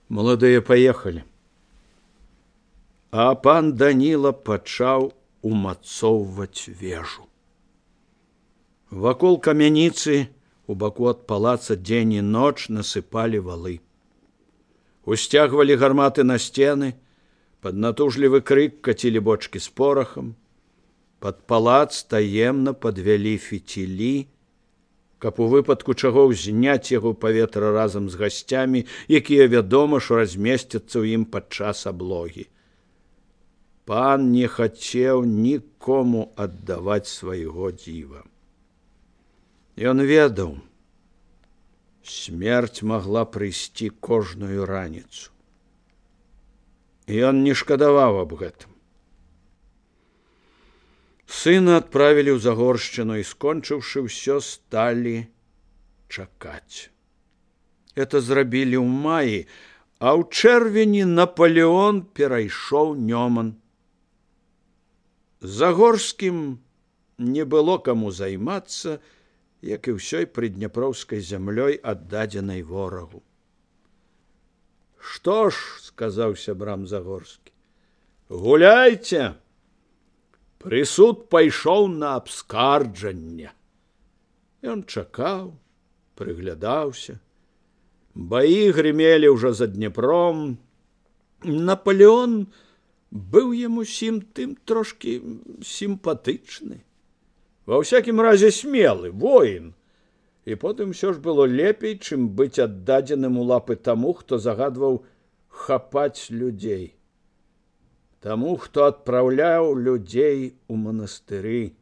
Маладыя паехалі. А пан Даніла пачаў умацоўваць вежу. Вакол камяніцы у баку ад палаца дзень і ноч насыпалі валы. Усцягвалі гарматы на сцены, пад натужлівы крык кацілі бочкі з порахам. Пад палац таемна падвялі фіцілі, каб у выпадку чаго ўзняць яго ў паветра разам з гасцямі, якія, вядома ж, размесцяцца ў ім падчас аблогі. Пан не хацеў нікому аддаваць свайго дзіва. Ён ведаў, смерць магла прыйсці кожную раніцу. І ён не шкадаваў аб гэтым. Сына адправілі ў Загоршчыну і, скончыўшы ўсё, сталі чакаць. Это зрабілі ў маі, а ў чэрвені Напалеон перайшоў Нёман. Загорскім не было каму займацца, як і ўсёй прыдняпроўскай зямлёй, аддадзенай ворагу. «Што ж, — сказаў сябрам Загорскі, — гуляйце! Прысуд пайшоў на абскарджанне». Ён чакаў, прыглядаўся. Баі грымелі ўжо за Днепром. Напалеон быў яму сім тым трошкі сімпатычны. Ва ўсякім разе смелы, воін. І потым усё ж было лепей, чым быць аддадзеным у лапы таму, хто загадваў хапаць людзей. Таму, хто адпраўляў людзей у манастыры.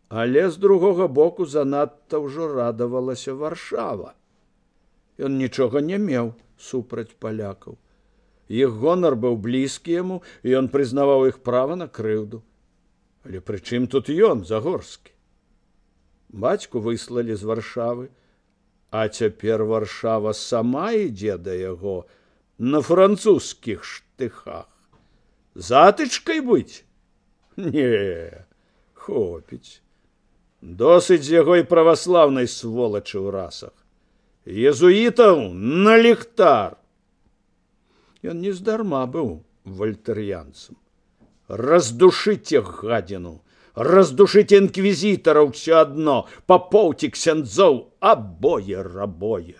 Але з другога боку занадта ўжо радавалася Варшава. Ён нічога не меў супраць палякаў. Іх гонар быў блізкі яму, і ён прызнаваў іх права на крыўду. Але пры чым тут ён, Загорскі? Бацьку выслалі з Варшавы, а цяпер Варшава сама ідзе да яго на французскіх штыхах. Затычкай быць? Не, хопіць. Досыць з яго і праваслаўнай сволачы ў расах. Езуітаў на ліхтар. Ён нездарма быў вальтэр'янцам. Раздушыце гадзіну, раздушыце інквізітараў, ўсё адно, папоў ці ксяндзоў, абое рабое.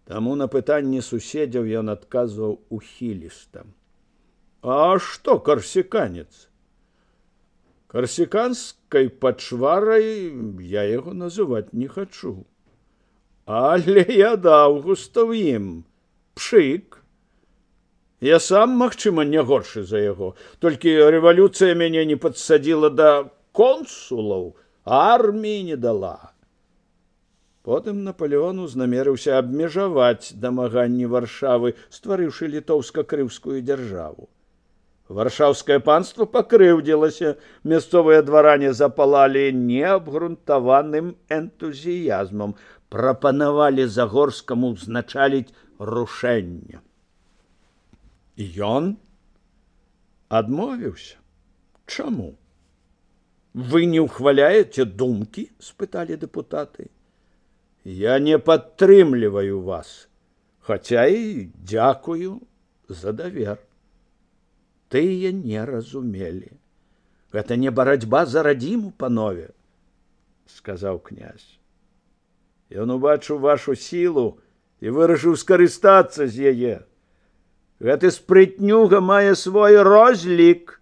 Таму на пытанні суседзяў ён адказваў ухіліста. А што карсіканец? Карсіканскай пачварай я яго называць не хачу. Але я даўгуста ў ім пшык. Я сам, магчыма, не горшы за яго. Толькі рэвалюцыя мяне не падсадзіла да консулаў, арміі не дала. Потым Напалеон узнамерыўся абмежаваць дамаганні Варшавы, стварыўшы літоўска-крыўскую дзяржаву. Варшаўскае панство пакрыўдзілася, мясцовыя дваране запалалі неабгрунтаваным энтузіязмам, прапанавалі Загорскаму ўзначаліць рушэнне. Ён адмовіўся. Чаму? Вы не ўхваляеце думкі? — спыталі дэпутаты. Я не падтрымліваю вас, хаця і дзякую за давер. Тыя не разумелі. Гэта не барацьба за радзіму, панове, — сказаў князь. Ён убачыў вашу сілу і вырашыў скарыстацца з яе. Гэты спрытнюга мае свой розлік,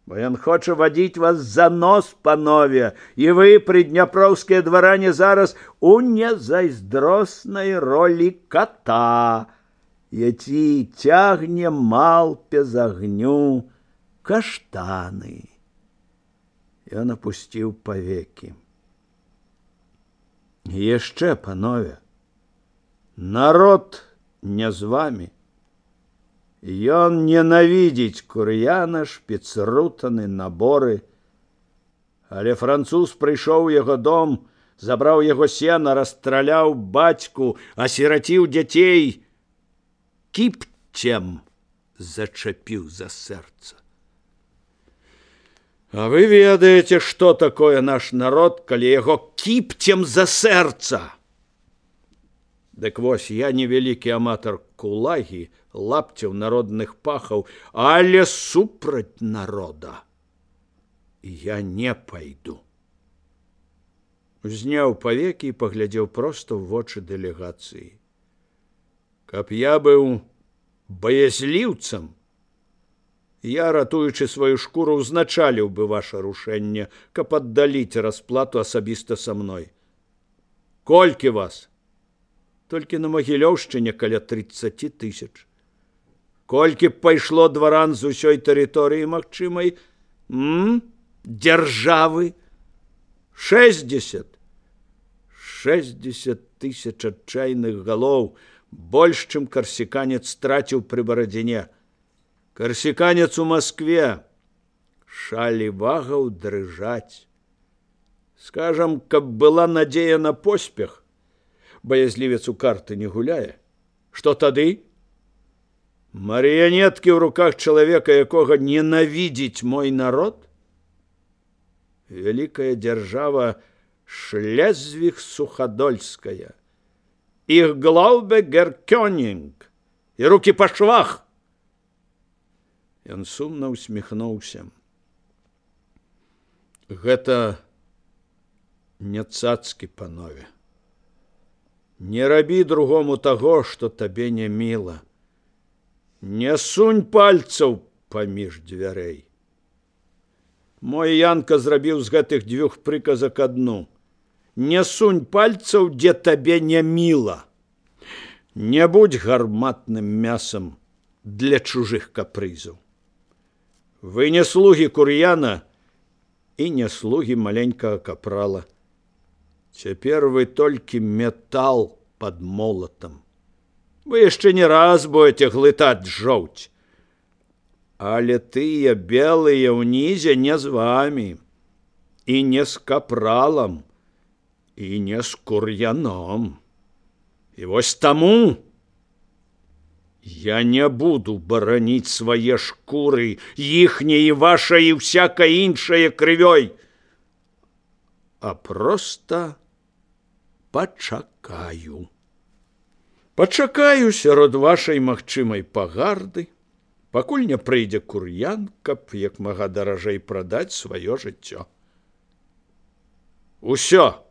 бо ён хоча вадзіць вас за нос, панове, і вы, прыдняпроўскія дваране, зараз у незайздроснай ролі кота, які цягне малпе з агню каштаны. Ён апусціў павекі. Яшчэ, панове, народ не з вамі. Ён ненавідзіць кур'яна, шпіцрутаны, наборы. Але француз прыйшоў у яго дом, забраў яго сена, расстраляў бацьку, асіраціў дзяцей, кіпцем зачапіў за сэрца. А вы ведаеце, што такое наш народ, калі яго кіпцем за сэрца? Дык вось, я невялікі аматар кулагі, лапцяў, народных пахаў, але супраць народа я не пайду. Узняў павекі і паглядзеў проста ў вочы дэлегацыі. Каб я быў баязліўцам, я, ратуючы сваю шкуру, узначаліў бы ваша рушэнне, каб аддаліць расплату асабіста са мной. Колькі вас? Толькі на Магілёўшчыне каля 30 000. Колькі б пайшло дваран з усёй тэрыторыі магчымай? Дзяржавы? 60. 60 000 адчайных галоў, больш, чым карсіканец страціў пры Барадзіне. Карсіканец у Маскве. Шалі вагаў дрыжаць. Скажам, каб была надзея на поспех, баязлівец у карты не гуляе. Што тады? Марыянеткі ў руках чалавека, якога ненавідзіць мой народ? Вялікая дзяржава Шлезвіг-Сухадольская. Іх глаубе гер Кёнінг. І рукі па швах. Ён сумна усміхнуўся. Гэта не цацкі, панове. Не рабі другому таго, што табе не міла. Не сунь пальцаў паміж дзвярэй. Мой Янка зрабіў з гэтых 2 прыказак адну. Не сунь пальцаў, дзе табе не міла. Не будь гарматным мясам для чужых капрызаў. Вы не слугі Кур'яна і не слугі маленькага капрала. Цяпер вы толькі метал пад молатам. Вы яшчэ не раз будете глытаць жоўць. Але тыя белыя ўнізе не з вамі, і не з капралам, і не з Кур'яном. І вось таму я не буду бараніць свае шкуры, іхняй і вашай і всякай іншае крывёй, а проста пачакаю. Пачакаю сярод вашай магчымай пагарды, пакуль не прыйдзе Кур'ян, каб як мага даражэй прадаць сваё жыццё. Усё.